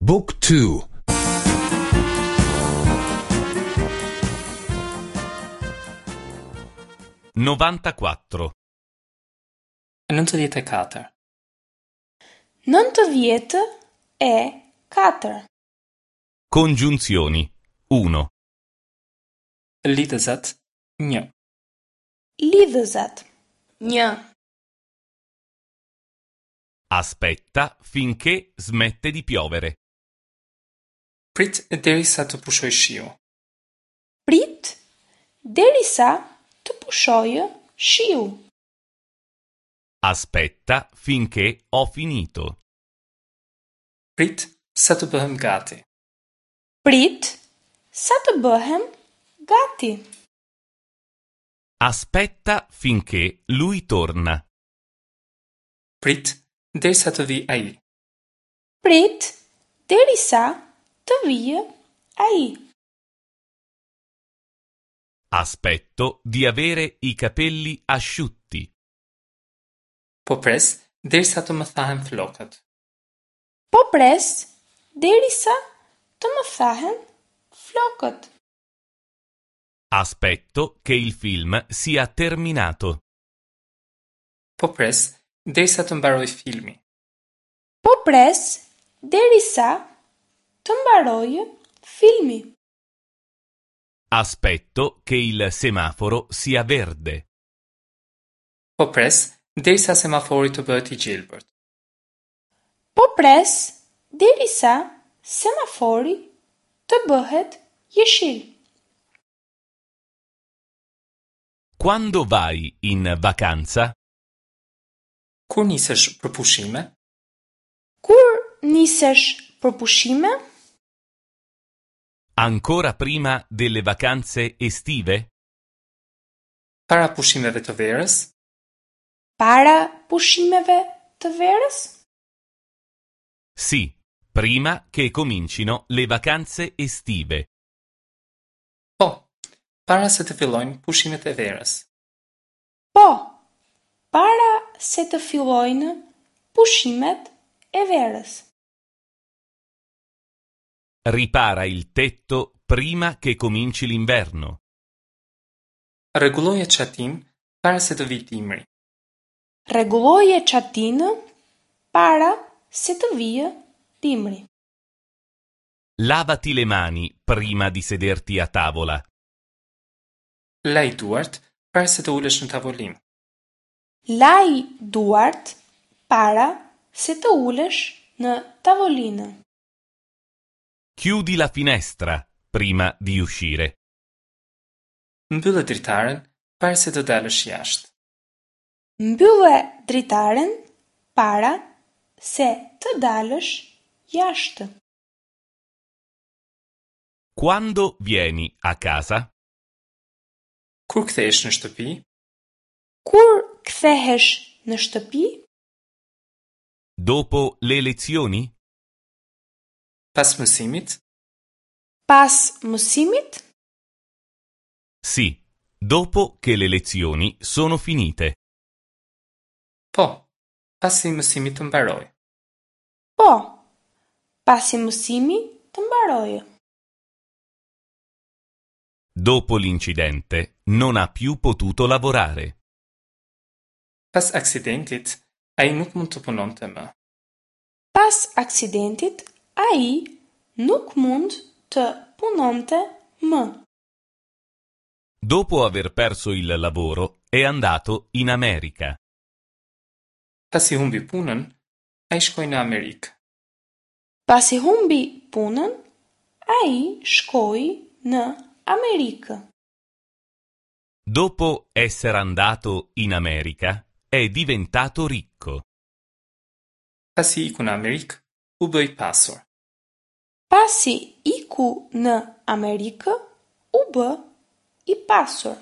Book 2 94. 94. 94. Congiunzioni 1. Lidhëzat 1. Lidhëzat 1. Aspetta finché smette di piovere. Prit derisa të pushojë shiu. Prit derisa të pushojë shiu. Aspetta finché ho finito. Prit sa të bëhem gati. Prit sa të bëhem gati. Aspetta finché lui torna. Prit derisa të vijë ai. Prit derisa të vijë ai. Aspetto di avere i capelli asciutti. Po pres derisa të më thahen flokët. Po pres derisa të më thahen flokët. Aspetto che il film sia terminato. Po pres derisa të mbarojë filmi. Po pres derisa të mbarojë filmi. Aspetto che il semaforo sia verde. Po pres derisa semafori të bëhet i gjelbërt. Po pres derisa semafori të bëhet jeshil. Quando vai in vacanza? Kur nisesh për pushime? Kur nisesh për pushime? Ancora prima delle vacanze estive? Para pushimeve të verës? Para pushimeve të verës? Sì, prima che comincino le vacanze estive. Po, para se të fillojnë pushimet e verës. Po, para se të fillojnë pushimet e verës. Ripara il tetto prima che cominci l'inverno. Rregulloje çatinë para se të vijë dimri. Rregulloje çatinë para se të vijë dimri. Lavati le mani prima di sederti a tavola. Laj duart para se të ulesh në tavolinë. Laj duart para se të ulesh në tavolinë. Chiudi la finestra prima di uscire. Mbylle dritaren para se të dalësh jashtë. Mbylle dritaren para se të dalësh jashtë. Quando vieni a casa? Kur kthehesh në shtëpi? Kur kthehesh në shtëpi? Dopo le lezioni? Pas mësimit? Pas mësimit? Sì, dopo che le lezioni sono finite. Po, pasi mësimi të mbarojë. Po, pasi mësimi të mbarojë. Dopo l'incidente non ha più potuto lavorare. Pas aksidentit, ai nuk mund të punonte më. Pas aksidentit, ai nuk mund të punonte më. Dopo aver perso il lavoro è andato in America. Pasi humbi punën, ai shkoi në Amerikë. Pasi humbi punën, ai shkoi në Amerikë. Dopo essere andato in America è diventato ricco. Pasi iku në Amerikë, u bë i pasur. Pasi iku në Amerikë, u bë i pasur.